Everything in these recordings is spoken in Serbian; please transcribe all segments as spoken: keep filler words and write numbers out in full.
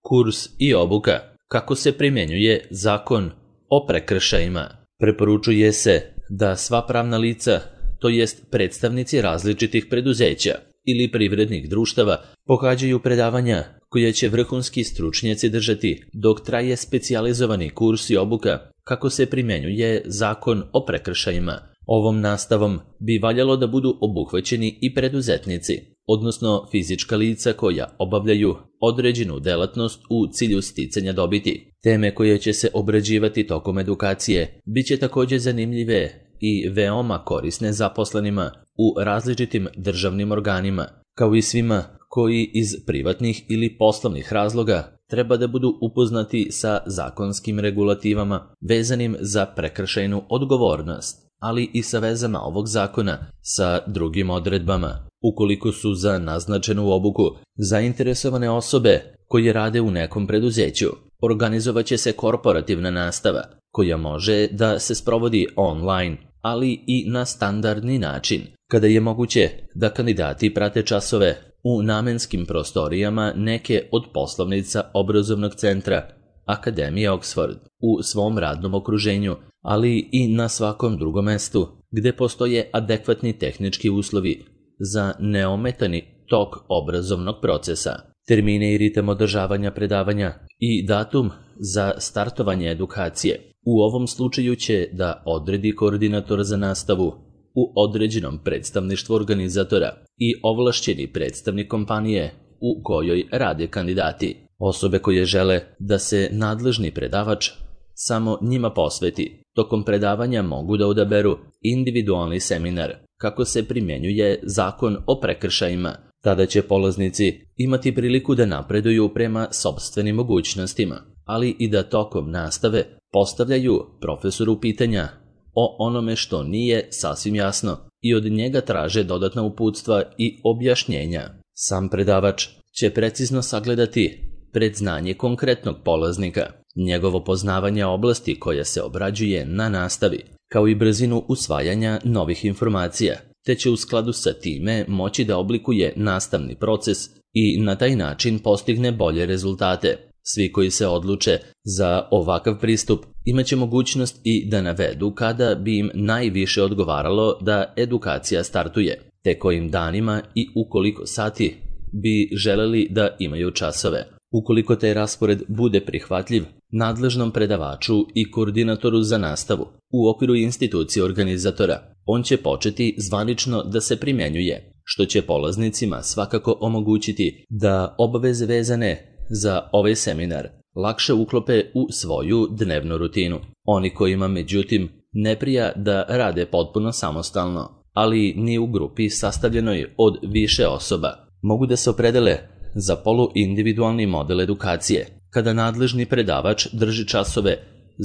Kurs i obuka. Kako se primjenjuje zakon o prekršajima? Preporučuje se da sva pravna lica, to jest predstavnici različitih preduzeća ili privrednih društava, pohađaju predavanja koje će vrhunski stručnjaci držati dok traje specijalizovani kurs i obuka kako se primjenjuje zakon o prekršajima. Ovom nastavom bi valjalo da budu obuhvaćeni i preduzetnici, odnosno fizička lica koja obavljaju određenu delatnost u cilju sticanja dobiti. Teme koje će se obrađivati tokom edukacije biće također zanimljive i veoma korisne zaposlenima u različitim državnim organima, kao i svima koji iz privatnih ili poslovnih razloga treba da budu upoznati sa zakonskim regulativama vezanim za prekršajnu odgovornost, ali i sa vezama ovog zakona sa drugim odredbama. Ukoliko su za naznačenu obuku zainteresovane osobe koje rade u nekom preduzeću, organizovat će se korporativna nastava koja može da se sprovodi online, ali i na standardni način, kada je moguće da kandidati prate časove u namenskim prostorijama neke od poslovnica obrazovnog centra Akademije Oxford u svom radnom okruženju, ali i na svakom drugom mestu gde postoje adekvatni tehnički uslovi za neometani tok obrazovnog procesa. Termine i ritam održavanja predavanja i datum za startovanje edukacije u ovom slučaju će da odredi koordinator za nastavu u određenom predstavništvu organizatora i ovlašćeni predstavnik kompanije u kojoj rade kandidati. Osobe koje žele da se nadležni predavač samo njima posveti tokom predavanja mogu da odaberu individualni seminar kako se primjenjuje zakon o prekršajima. Tada će polaznici imati priliku da napreduju prema sopstvenim mogućnostima, ali i da tokom nastave postavljaju profesoru pitanja o onome što nije sasvim jasno i od njega traže dodatna uputstva i objašnjenja. Sam predavač će precizno sagledati predznanje konkretnog polaznika, njegovo poznavanje oblasti koja se obrađuje na nastavi, kao i brzinu usvajanja novih informacija, te će u skladu sa time moći da oblikuje nastavni proces i na taj način postigne bolje rezultate. Svi koji se odluče za ovakav pristup imaće mogućnost i da navedu kada bi im najviše odgovaralo da edukacija startuje, te kojim danima i u koliko sati bi želeli da imaju časove. Ukoliko taj raspored bude prihvatljiv nadležnom predavaču i koordinatoru za nastavu u okviru institucije organizatora, on će početi zvanično da se primjenjuje, što će polaznicima svakako omogućiti da obaveze vezane za ovaj seminar lakše uklope u svoju dnevnu rutinu. Oni kojima međutim ne prija da rade potpuno samostalno, ali ni u grupi sastavljenoj od više osoba, mogu da se opredele za poluindividualni model edukacije, kada nadležni predavač drži časove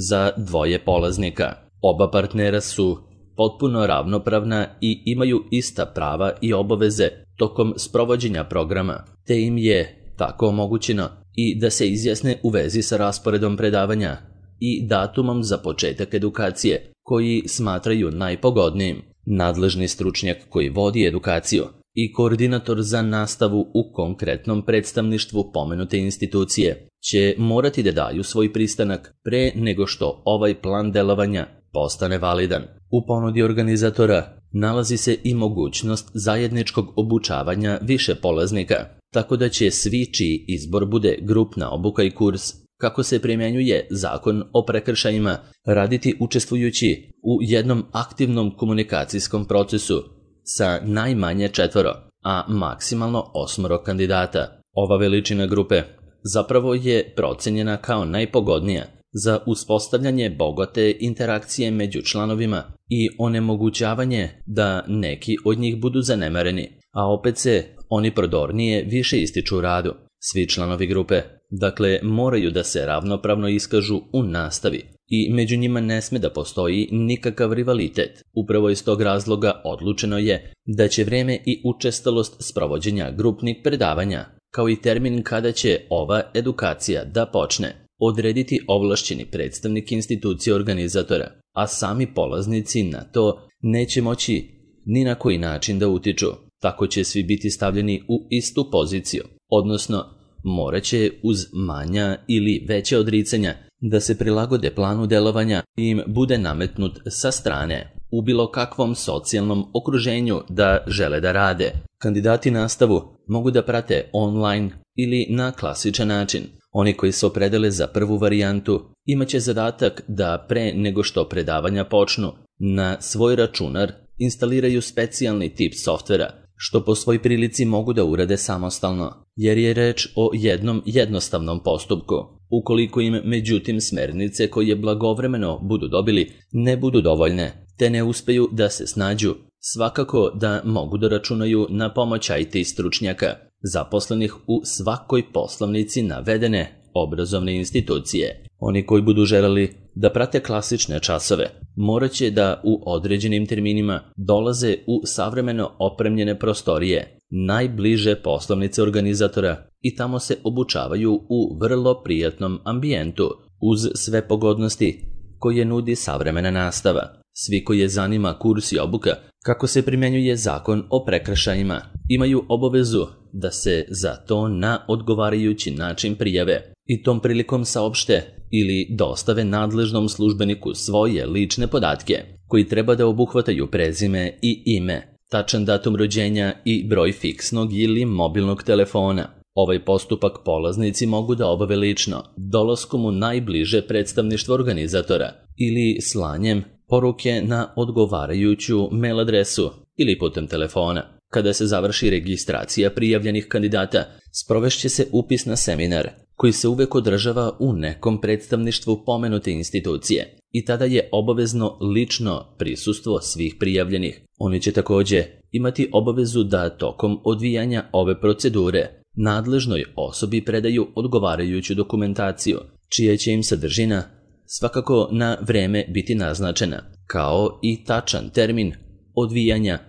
za dvoje polaznika. Oba partnera su potpuno ravnopravna i imaju ista prava i obaveze tokom sprovođenja programa, te im je tako omogućeno i da se izjasne u vezi sa rasporedom predavanja i datumom za početak edukacije koji smatraju najpogodnijim. Nadležni stručnjak koji vodi edukaciju i koordinator za nastavu u konkretnom predstavništvu pomenute institucije će morati da daju svoj pristanak pre nego što ovaj plan delovanja postane validan. U ponudi organizatora nalazi se i mogućnost zajedničkog obučavanja više polaznika, tako da će svi čiji izbor bude grupna obuka i kurs kako se primjenjuje zakon o prekršajima raditi učestvujući u jednom aktivnom komunikacijskom procesu sa najmanje četvoro, a maksimalno osmoro kandidata. Ova veličina grupe zapravo je procenjena kao najpogodnija za uspostavljanje bogate interakcije među članovima i onemogućavanje da neki od njih budu zanemareni, a opet se oni prodornije više ističu u radu. Svi članovi grupe, dakle, moraju da se ravnopravno iskažu u nastavi i među njima ne sme da postoji nikakav rivalitet. Upravo iz tog razloga odlučeno je da će vreme i učestalost sprovođenja grupnih predavanja, kao i termin kada će ova edukacija da počne, odrediti ovlašćeni predstavnik institucije organizatora, a sami polaznici na to neće moći ni na koji način da utiču. Tako će svi biti stavljeni u istu poziciju, odnosno morat će uz manja ili veća odricanja da se prilagode planu delovanja i im bude nametnut sa strane u bilo kakvom socijalnom okruženju da žele da rade. Kandidati nastavu mogu da prate online ili na klasičan način. Oni koji se opredele za prvu varijantu imaće zadatak da pre nego što predavanja počnu na svoj računar instaliraju specijalni tip softvera, što po svoj prilici mogu da urade samostalno, jer je reč o jednom jednostavnom postupku. Ukoliko im međutim smernice koje blagovremeno budu dobili ne budu dovoljne, te ne uspeju da se snađu, svakako da mogu da računaju na pomoć I T stručnjaka, zaposlenih u svakoj poslovnici navedene obrazovne institucije. Oni koji budu želeli da prate klasične časove, morat će da u određenim terminima dolaze u savremeno opremljene prostorije, najbliže poslovnice organizatora i tamo se obučavaju u vrlo prijatnom ambijentu, uz sve pogodnosti koje nudi savremena nastava. Svi koje zanima kurs i obuka kako se primjenjuje zakon o prekršajima imaju obavezu da se za to na odgovarajući način prijave i tom prilikom saopšte ili dostave nadležnom službeniku svoje lične podatke koji treba da obuhvataju prezime i ime, tačan datum rođenja i broj fiksnog ili mobilnog telefona. Ovaj postupak polaznici mogu da obave lično, dolaskom u najbliže predstavništvo organizatora ili slanjem poruke na odgovarajuću mail adresu ili putem telefona. Kada se završi registracija prijavljenih kandidata, sprovešće se upis na seminar, koji se uvek održava u nekom predstavništvu pomenute institucije i tada je obavezno lično prisustvo svih prijavljenih. Oni će takođe imati obavezu da tokom odvijanja ove procedure nadležnoj osobi predaju odgovarajuću dokumentaciju, čija će im sadržina svakako na vreme biti naznačena, kao i tačan termin odvijanja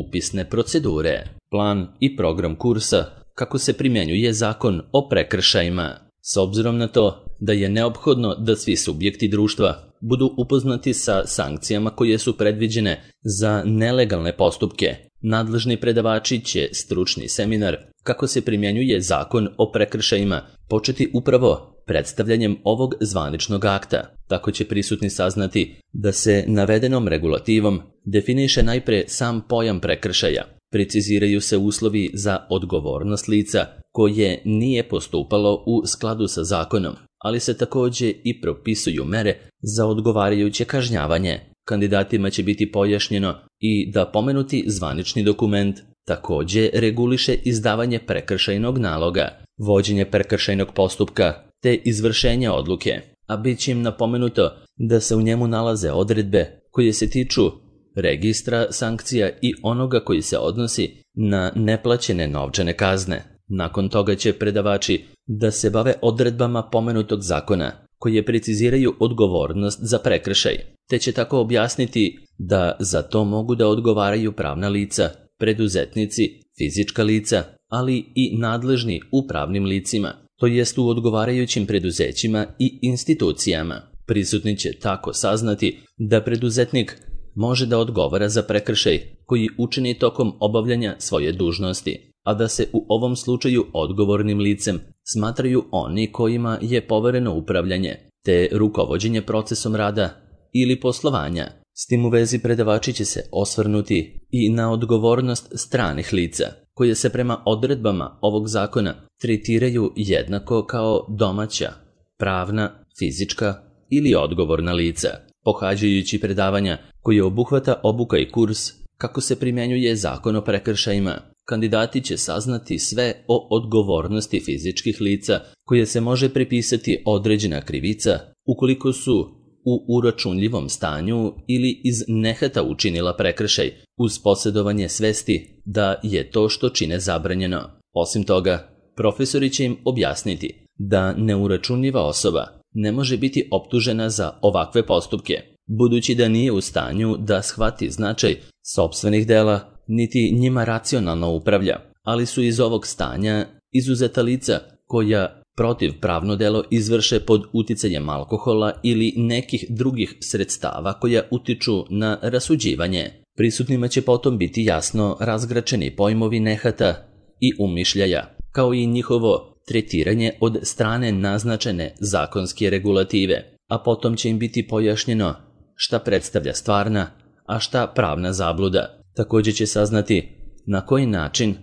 upisne procedure, plan i program kursa kako se primjenjuje zakon o prekršajima. S obzirom na to da je neophodno da svi subjekti društva budu upoznati sa sankcijama koje su predviđene za nelegalne postupke, nadležni predavači će stručni seminar kako se primjenjuje zakon o prekršajima početi upravo predstavljanjem ovog zvaničnog akta. Tako će prisutni saznati da se navedenom regulativom definiše najpre sam pojam prekršaja, preciziraju se uslovi za odgovornost lica koje nije postupalo u skladu sa zakonom, ali se takođe i propisuju mere za odgovarajuće kažnjavanje. Kandidatima će biti pojašnjeno i da pomenuti zvanični dokument takođe reguliše izdavanje prekršajnog naloga, vođenje prekršajnog postupka te izvršenje odluke, a bit će im napomenuto da se u njemu nalaze odredbe koje se tiču registra sankcija i onoga koji se odnosi na neplaćene novčane kazne. Nakon toga će predavači da se bave odredbama pomenutog zakona koje preciziraju odgovornost za prekršaj, te će tako objasniti da za to mogu da odgovaraju pravna lica, preduzetnici, fizička lica, ali i nadležni u pravnim licima, to jest u odgovarajućim preduzećima i institucijama. Prisutni će tako saznati da preduzetnik može da odgovara za prekršaj koji učini tokom obavljanja svoje dužnosti, a da se u ovom slučaju odgovornim licem smatraju oni kojima je povereno upravljanje, te rukovođenje procesom rada ili poslovanja. S tim u vezi predavači će se osvrnuti i na odgovornost stranih lica, koje se prema odredbama ovog zakona tretiraju jednako kao domaća, pravna, fizička ili odgovorna lica. Pohađajući predavanja koje obuhvata obuka i kurs kako se primjenjuje zakon o prekršajima, kandidati će saznati sve o odgovornosti fizičkih lica koje se može pripisati određena krivica ukoliko su u uračunljivom stanju ili iz nehata učinila prekršaj uz posjedovanje svesti da je to što čine zabranjeno. Osim toga, profesori će im objasniti da neuračunljiva osoba ne može biti optužena za ovakve postupke, budući da nije u stanju da shvati značaj sopstvenih dela, niti njima racionalno upravlja, ali su iz ovog stanja izuzeta lica koja protivpravno delo izvrše pod uticajem alkohola ili nekih drugih sredstava koja utiču na rasuđivanje. Prisutnima će potom biti jasno razgračeni pojmovi nehata i umišljaja, kao i njihovo tretiranje od strane naznačene zakonske regulative, a potom će im biti pojašnjeno šta predstavlja stvarna, a šta pravna zabluda. Također će saznati na koji način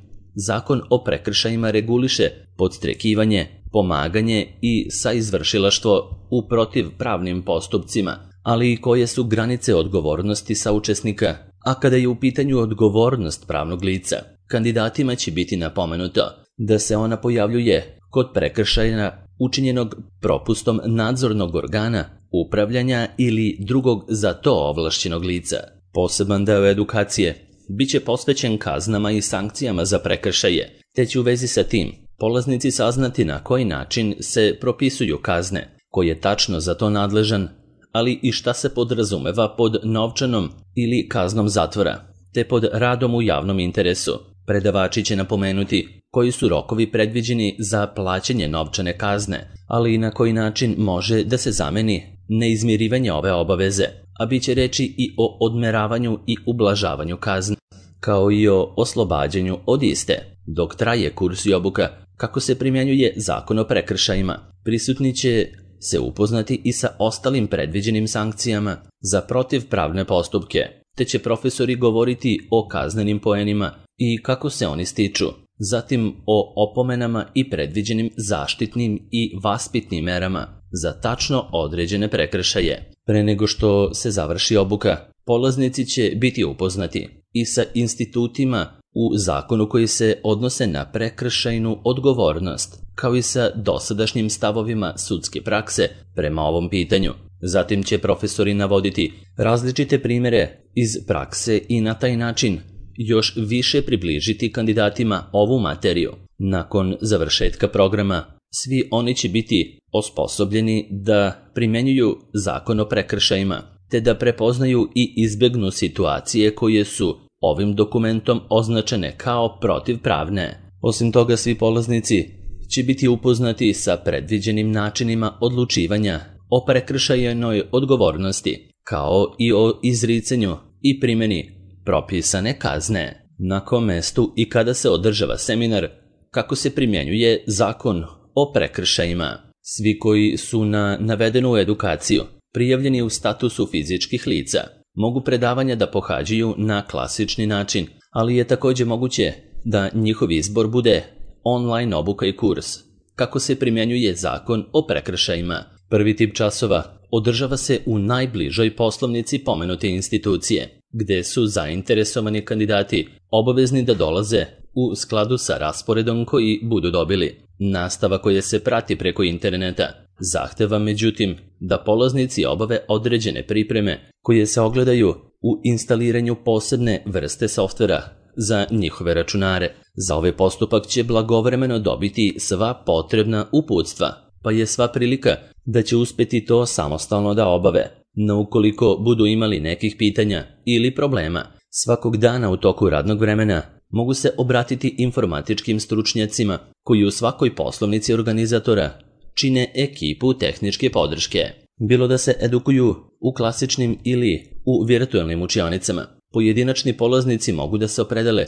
Zakon o prekršajima reguliše podstrekivanje, pomaganje i saizvršilaštvo u protivpravnim postupcima, ali i koje su granice odgovornosti saučesnika. A kada je u pitanju odgovornost pravnog lica, kandidatima će biti napomenuto da se ona pojavljuje kod prekršaja učinjenog propustom nadzornog organa, upravljanja ili drugog za to ovlašćenog lica. Poseban deo edukacije biće posvećen kaznama i sankcijama za prekršaje, te će u vezi sa tim polaznici saznati na koji način se propisuju kazne, ko je tačno za to nadležan, ali i šta se podrazumeva pod novčanom ili kaznom zatvora, te pod radom u javnom interesu. Predavači će napomenuti koji su rokovi predviđeni za plaćanje novčane kazne, ali i na koji način može da se zameni neizmirivanje ove obaveze, a bit će reči i o odmeravanju i ublažavanju kazne, kao i o oslobađanju od iste. Dok traje kurs i obuka kako se primjenjuje Zakon o prekršajima, prisutni će se upoznati i sa ostalim predviđenim sankcijama za protivpravne postupke, te će profesori govoriti o kaznenim poenima i kako se oni stiču, zatim o opomenama i predviđenim zaštitnim i vaspitnim merama za tačno određene prekršaje. Pre nego što se završi obuka, polaznici će biti upoznati i sa institutima u zakonu koji se odnose na prekršajnu odgovornost, kao i sa dosadašnjim stavovima sudske prakse prema ovom pitanju. Zatim će profesori navoditi različite primjere iz prakse i na taj način još više približiti kandidatima ovu materiju. Nakon završetka programa, svi oni će biti osposobljeni da primjenjuju Zakon o prekršajima, te da prepoznaju i izbegnu situacije koje su ovim dokumentom označene kao protivpravne. Osim toga, svi polaznici će biti upoznati sa predviđenim načinima odlučivanja o prekršajnoj odgovornosti, kao i o izricanju i primjeni propisane kazne. Na kom mestu i kada se održava seminar kako se primjenjuje Zakon o prekršajima. Svi koji su na navedenu edukaciju prijavljeni u statusu fizičkih lica mogu predavanja da pohađaju na klasični način, ali je također moguće da njihov izbor bude online obuka i kurs kako se primjenjuje Zakon o prekršajima. Prvi tip časova održava se u najbližoj poslovnici pomenute institucije, gde su zainteresovani kandidati obavezni da dolaze u skladu sa rasporedom koji budu dobili. Nastava koja se prati preko interneta zahteva međutim da polaznici obave određene pripreme koje se ogledaju u instaliranju posebne vrste softvera za njihove računare. Za ovaj postupak će blagovremeno dobiti sva potrebna uputstva, pa je sva prilika da će uspjeti to samostalno da obave. No ukoliko budu imali nekih pitanja ili problema, svakog dana u toku radnog vremena mogu se obratiti informatičkim stručnjacima koji u svakoj poslovnici organizatora čine ekipu tehničke podrške. Bilo da se edukuju u klasičnim ili u virtualnim učionicama, pojedinačni polaznici mogu da se opredele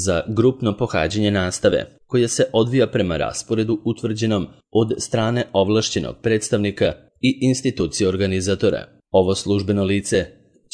za grupno pohađanje nastave, koja se odvija prema rasporedu utvrđenom od strane ovlašćenog predstavnika i institucije organizatora. Ovo službeno lice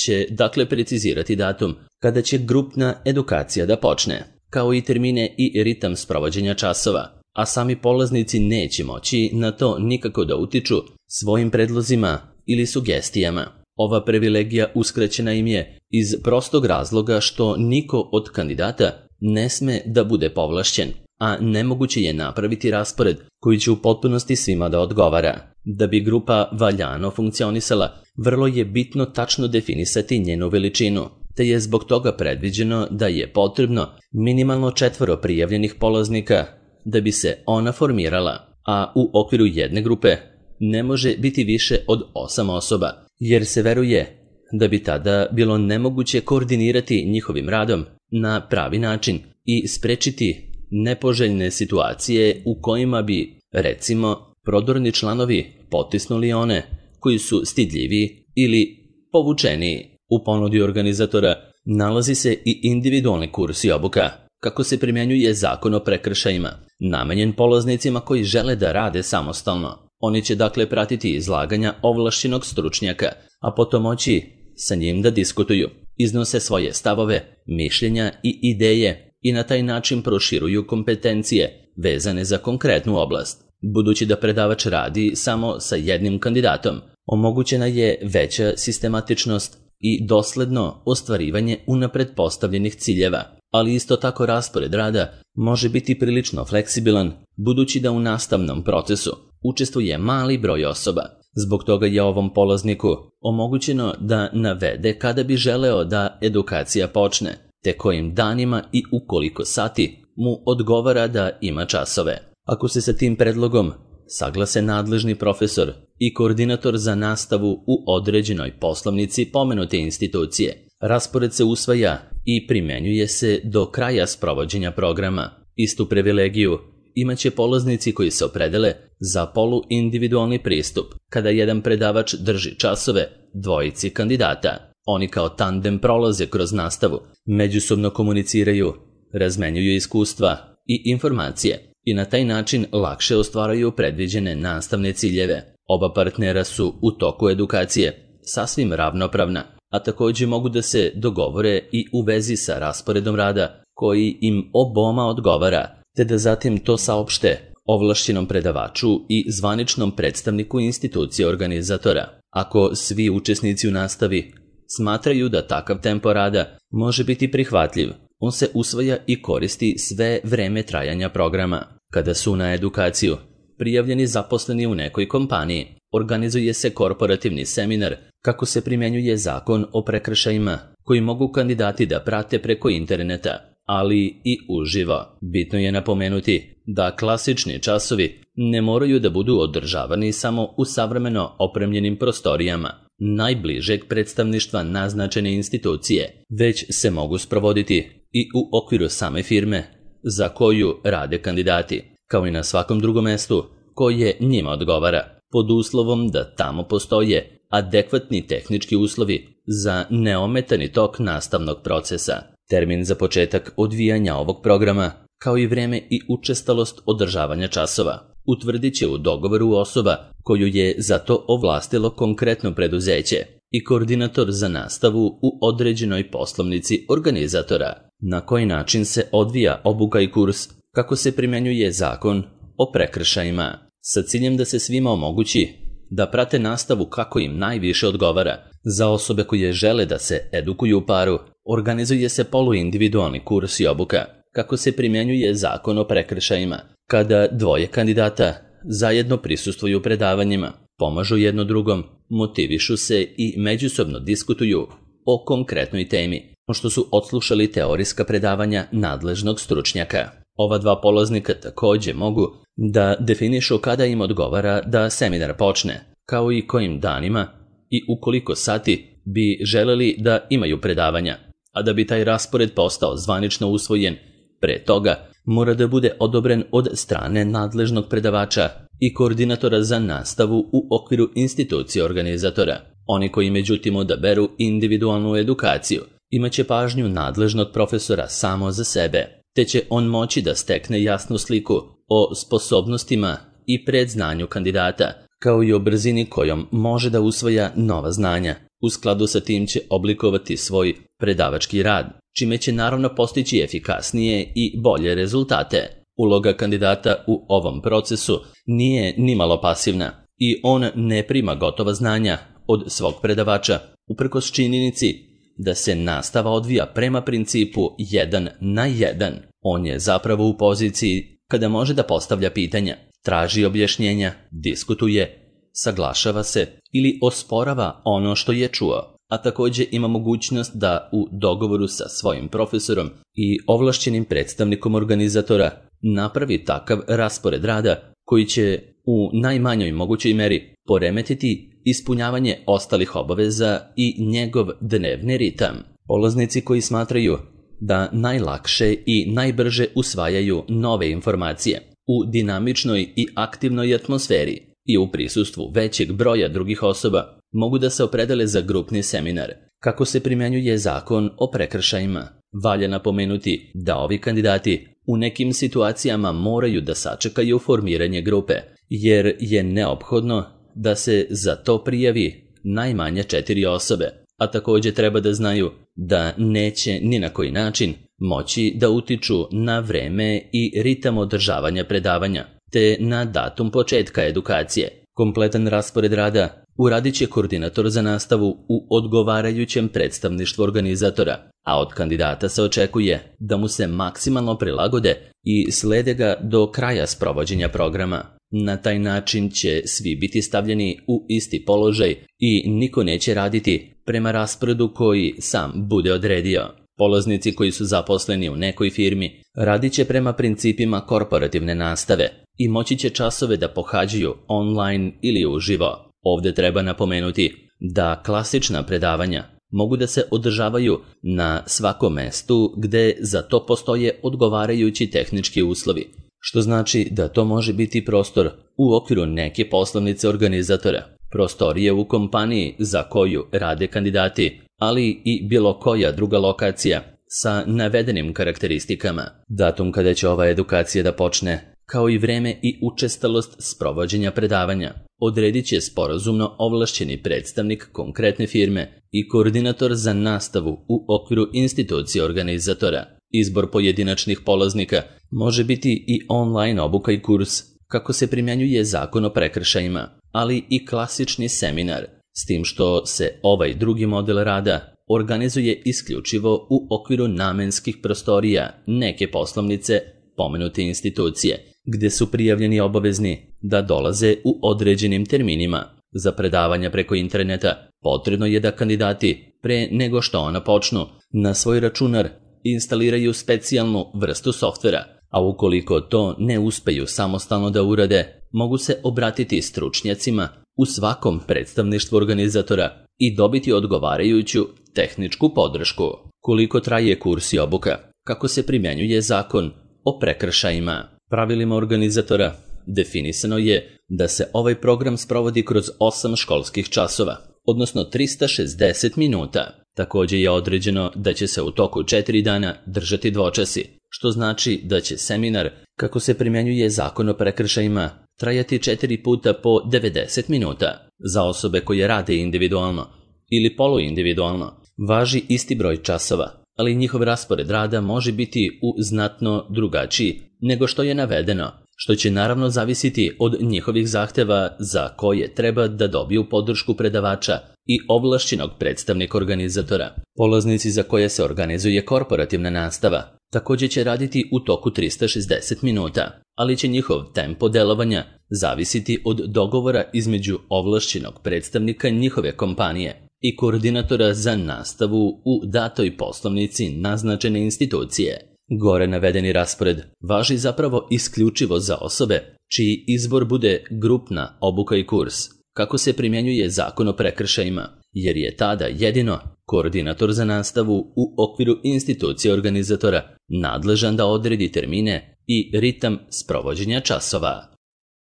će dakle precizirati datum kada će grupna edukacija da počne, kao i termine i ritam sprovođenja časova, a sami polaznici neće moći na to nikako da utiču svojim predlozima ili sugestijama. Ova privilegija uskraćena im je iz prostog razloga što niko od kandidata ne sme da bude povlašćen, a nemoguće je napraviti raspored koji će u potpunosti svima da odgovara. Da bi grupa valjano funkcionisala, vrlo je bitno tačno definisati njenu veličinu, te je zbog toga predviđeno da je potrebno minimalno četvoro prijavljenih polaznika da bi se ona formirala, a u okviru jedne grupe ne može biti više od osam osoba, jer se veruje da bi tada bilo nemoguće koordinirati njihovim radom na pravi način i sprečiti nepoželjne situacije u kojima bi, recimo, prodorni članovi potisnuli one koji su stidljivi ili povučeniji. U ponudi organizatora nalazi se i individualni kurs i obuka kako se primjenjuje zakon o prekršajima, namenjen polaznicima koji žele da rade samostalno. Oni će dakle pratiti izlaganja ovlašćenog stručnjaka, a potom moći sa njim da diskutuju, iznose svoje stavove, mišljenja i ideje i na taj način proširuju kompetencije vezane za konkretnu oblast. Budući da predavač radi samo sa jednim kandidatom, omogućena je veća sistematičnost i dosledno ostvarivanje unapred postavljenih ciljeva, ali isto tako raspored rada može biti prilično fleksibilan, budući da u nastavnom procesu učestvuje mali broj osoba. Zbog toga je ovom polazniku omogućeno da navede kada bi želeo da edukacija počne, te kojim danima i u koliko sati mu odgovara da ima časove. Ako se sa tim predlogom saglase nadležni profesor i koordinator za nastavu u određenoj poslovnici pomenute institucije, raspored se usvaja i primenjuje se do kraja sprovođenja programa. Istu privilegiju imaće polaznici koji se opredele za poluindividualni pristup, kada jedan predavač drži časove dvojici kandidata. Oni kao tandem prolaze kroz nastavu, međusobno komuniciraju, razmenjuju iskustva i informacije i na taj način lakše ostvaraju predviđene nastavne ciljeve. Oba partnera su u toku edukacije sasvim ravnopravna, a također mogu da se dogovore i u vezi sa rasporedom rada koji im oboma odgovara, te da zatim to saopšte ovlašćenom predavaču i zvaničnom predstavniku institucije organizatora. Ako svi učesnici u nastavi smatraju da takav tempo rada može biti prihvatljiv, on se usvaja i koristi sve vreme trajanja programa. Kada su na edukaciju prijavljeni zaposleni u nekoj kompaniji, organizuje se korporativni seminar kako se primjenjuje zakon o prekršajima koji mogu kandidati da prate preko interneta, ali i uživo. Bitno je napomenuti da klasični časovi ne moraju da budu održavani samo u savremeno opremljenim prostorijama najbližeg predstavništva naznačene institucije, već se mogu sprovoditi i u okviru same firme za koju rade kandidati, kao i na svakom drugom mestu koje njima odgovara, pod uslovom da tamo postoje adekvatni tehnički uslovi za neometani tok nastavnog procesa. Termin za početak odvijanja ovog programa, kao i vreme i učestalost održavanja časova, utvrdit će u dogovoru osoba koju je za to ovlastilo konkretno preduzeće i koordinator za nastavu u određenoj poslovnici organizatora. Na koji način se odvija obuka i kurs, kako se primjenjuje zakon o prekršajima, sa ciljem da se svima omogući da prate nastavu kako im najviše odgovara. Za osobe koje žele da se edukuju u paru, organizuje se poluindividualni kurs i obuka, kako se primjenjuje zakon o prekršajima, kada dvoje kandidata zajedno prisustvuju predavanjima, pomažu jedno drugom, motivišu se i međusobno diskutuju o konkretnoj temi, što su odslušali teorijska predavanja nadležnog stručnjaka. Ova dva polaznika također mogu da definišu kada im odgovara da seminar počne, kao i kojim danima i u koliko sati bi želeli da imaju predavanja, a da bi taj raspored postao zvanično usvojen, pre toga mora da bude odobren od strane nadležnog predavača i koordinatora za nastavu u okviru institucije organizatora. Oni koji međutim odaberu individualnu edukaciju imaće pažnju nadležnog profesora samo za sebe, te će on moći da stekne jasnu sliku o sposobnostima i predznanju kandidata, kao i o brzini kojom može da usvaja nova znanja. U skladu sa tim će oblikovati svoj predavački rad, čime će naravno postići efikasnije i bolje rezultate. Uloga kandidata u ovom procesu nije nimalo pasivna i on ne prima gotova znanja od svog predavača, uprkos činjenici da se nastava odvija prema principu jedan na jedan. On je zapravo u poziciji kada može da postavlja pitanja, traži objašnjenja, diskutuje, saglašava se ili osporava ono što je čuo, a također ima mogućnost da u dogovoru sa svojim profesorom i ovlašćenim predstavnikom organizatora napravi takav raspored rada koji će u najmanjoj mogućoj meri poremetiti ispunjavanje ostalih obaveza i njegov dnevni ritam. Polaznici koji smatraju da najlakše i najbrže usvajaju nove informacije u dinamičnoj i aktivnoj atmosferi i u prisustvu većeg broja drugih osoba mogu da se opredele za grupni seminar, Kako se primjenjuje zakon o prekršajima? Valja napomenuti da ovi kandidati u nekim situacijama moraju da sačekaju formiranje grupe, jer je neophodno da se za to prijavi najmanje četiri osobe, a također treba da znaju da neće ni na koji način moći da utiču na vreme i ritam održavanja predavanja, te na datum početka edukacije. Kompletan raspored rada uradit će koordinator za nastavu u odgovarajućem predstavništvu organizatora, a od kandidata se očekuje da mu se maksimalno prilagode i slede ga do kraja sprovođenja programa. Na taj način će svi biti stavljeni u isti položaj i niko neće raditi prema rasporedu koji sam bude odredio. Polaznici koji su zaposleni u nekoj firmi radit će prema principima korporativne nastave i moći će časove da pohađaju online ili uživo. Ovdje treba napomenuti da klasična predavanja mogu da se održavaju na svakom mestu gde za to postoje odgovarajući tehnički uslovi, što znači da to može biti prostor u okviru neke poslovnice organizatora, prostorije u kompaniji za koju rade kandidati, ali i bilo koja druga lokacija sa navedenim karakteristikama. Datum kada će ova edukacija da počne, kao i vreme i učestalost sprovođenja predavanja, odredit će sporazumno ovlašćeni predstavnik konkretne firme i koordinator za nastavu u okviru institucije organizatora. Izbor pojedinačnih polaznika može biti i online obuka i kurs, kako se primjenjuje zakon o prekršajima, ali i klasični seminar, s tim što se ovaj drugi model rada organizuje isključivo u okviru namenskih prostorija neke poslovnice pomenute institucije, gde su prijavljeni obavezni da dolaze u određenim terminima. Za predavanja preko interneta potrebno je da kandidati, pre nego što ona počnu, na svoj računar instaliraju specijalnu vrstu softvera, a ukoliko to ne uspeju samostalno da urade, mogu se obratiti stručnjacima u svakom predstavništvu organizatora i dobiti odgovarajuću tehničku podršku. Koliko traje kurs i obuka? Kako se primjenjuje zakon o prekršajima? Pravilima organizatora definisano je da se ovaj program sprovodi kroz osam školskih časova, odnosno trista šezdeset minuta. Također je određeno da će se u toku četiri dana držati dvočasi, što znači da će seminar, kako se primjenjuje zakon o prekršajima, trajati četiri puta po devedeset minuta. Za osobe koje rade individualno ili poluindividualno važi isti broj časova, ali njihov raspored rada može biti u znatno drugačiji nego što je navedeno, što će naravno zavisiti od njihovih zahteva za koje treba da dobiju podršku predavača i ovlašćenog predstavnika organizatora. Polaznici za koje se organizuje korporativna nastava također će raditi u toku trista šezdeset minuta, ali će njihov tempo delovanja zavisiti od dogovora između ovlašćenog predstavnika njihove kompanije i koordinatora za nastavu u datoj poslovnici naznačene institucije. Gore navedeni raspored važi zapravo isključivo za osobe čiji izbor bude grupna obuka i kurs, kako se primjenjuje zakon o prekršajima, jer je tada jedino koordinator za nastavu u okviru institucije organizatora nadležan da odredi termine i ritam sprovođenja časova.